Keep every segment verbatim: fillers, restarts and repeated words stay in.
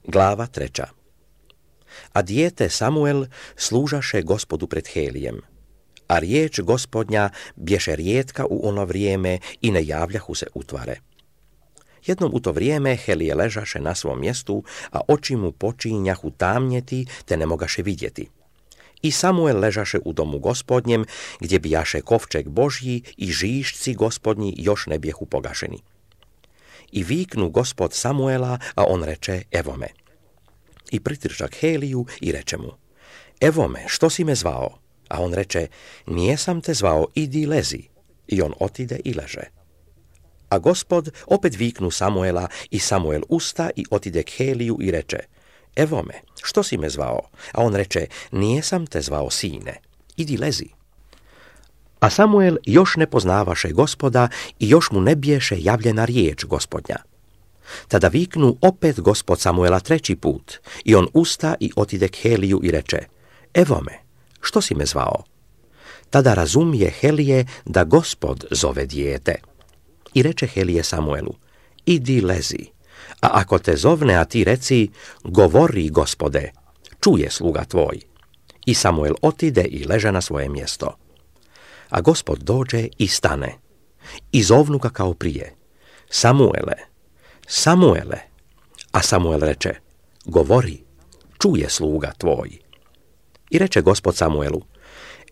Glava treća. A dijete Samuel služaše Gospodu pred Helijem, a riječ Gospodnja bješe rijetka u ono vrijeme i ne javljahu se utvare. Jednom u to vrijeme Helije ležaše na svom mjestu, a oči mu počinjahu tamnjeti, te ne mogaše vidjeti. I Samuel ležaše u domu Gospodnjem, gdje bijaše kovčeg Božji i žišci Gospodnji još ne bijehu pogašeni. I viknu Gospod Samuela, a on reče, evo me. I pritrča k Heliju i reče mu, evo me, što si me zvao? A on reče, nijesam te zvao, idi lezi. I on otide i leže. A Gospod opet viknu Samuela i Samuel usta i otide k Heliju i reče, evo me, što si me zvao? A on reče, nijesam te zvao, sine, idi lezi. A Samuel još ne poznavaše Gospoda i još mu ne biješe javljena riječ Gospodnja. Tada viknu opet Gospod Samuela treći put i on usta i otide k Heliju i reče, evo me, što si me zvao? Tada razumije Helije da Gospod zove dijete. I reče Helije Samuelu, idi lezi, a ako te zovne, a ti reci, govori Gospode, čuje sluga tvoj. I Samuel otide i leže na svoje mjesto. A Gospod dođe i stane, i zovnu ga kao prije, Samuele, Samuele, a Samuel reče, govori, čuje sluga tvoj. I reče Gospod Samuelu,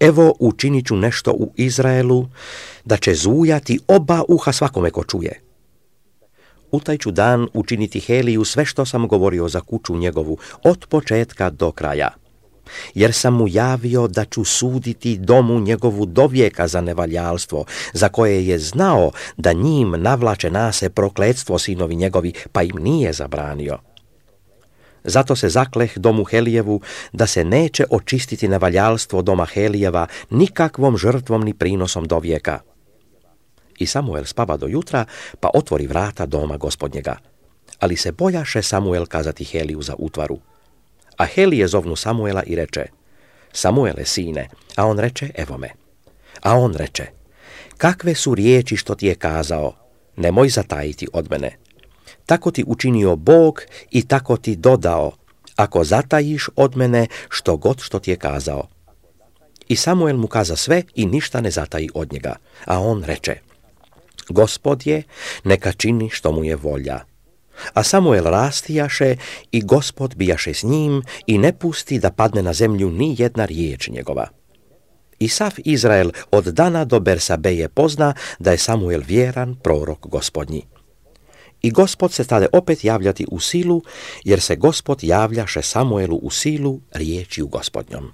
evo učinit ću nešto u Izraelu, da će zujati oba uha svakome ko čuje. U taj ću dan učiniti Heliju sve što sam govorio za kuću njegovu, od početka do kraja. Jer sam mu javio da ću suditi domu njegovu dovijeka za nevaljalstvo, za koje je znao da njim navlače nase prokletstvo sinovi njegovi, pa im nije zabranio. Zato se zakleh domu Helijevu da se neće očistiti nevaljalstvo doma Helijeva nikakvom žrtvom ni prinosom dovijeka. I Samuel spava do jutra, pa otvori vrata doma Gospodnjega. Ali se bojaše Samuel kazati Heliju za utvaru. A Helije zovnu Samuela i reče, Samuele, sine, a on reče, evo me. A on reče, kakve su riječi što ti je kazao, nemoj zatajiti od mene. Tako ti učinio Bog i tako ti dodao, ako zatajiš od mene što god što ti je kazao. I Samuel mu kaza sve i ništa ne zataji od njega. A on reče, Gospod je, neka čini što mu je volja. A Samuel rastijaše i Gospod bijaše s njim i ne pusti da padne na zemlju ni jedna riječ njegova. I sav Izrael od Dana do Bersabeje pozna da je Samuel vjeran prorok Gospodnji. I Gospod se stade opet javljati u silu, jer se Gospod javljaše Samuelu u silu riječju Gospodnjom.